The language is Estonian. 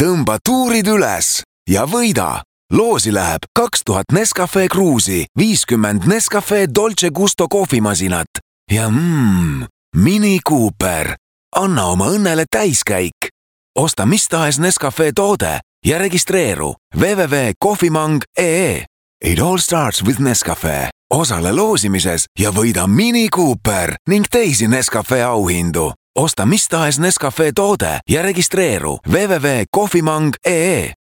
Tõmba tuurid üles ja võida. Loosi läheb 2000 Nescafe Cruise'i, 50 Nescafe Dolce Gusto kohvimasinat ja Mini Cooper. Anna oma õnnele täiskäik. Osta mis tahes Nescafe toode ja registreeru www.kohvimang.ee. It all starts with Nescafe. Osale loosimises ja võida Mini Cooper ning teisi Nescafe auhindu. Osta mis tahes Nescafe toode ja registreeru www.kohvimang.ee.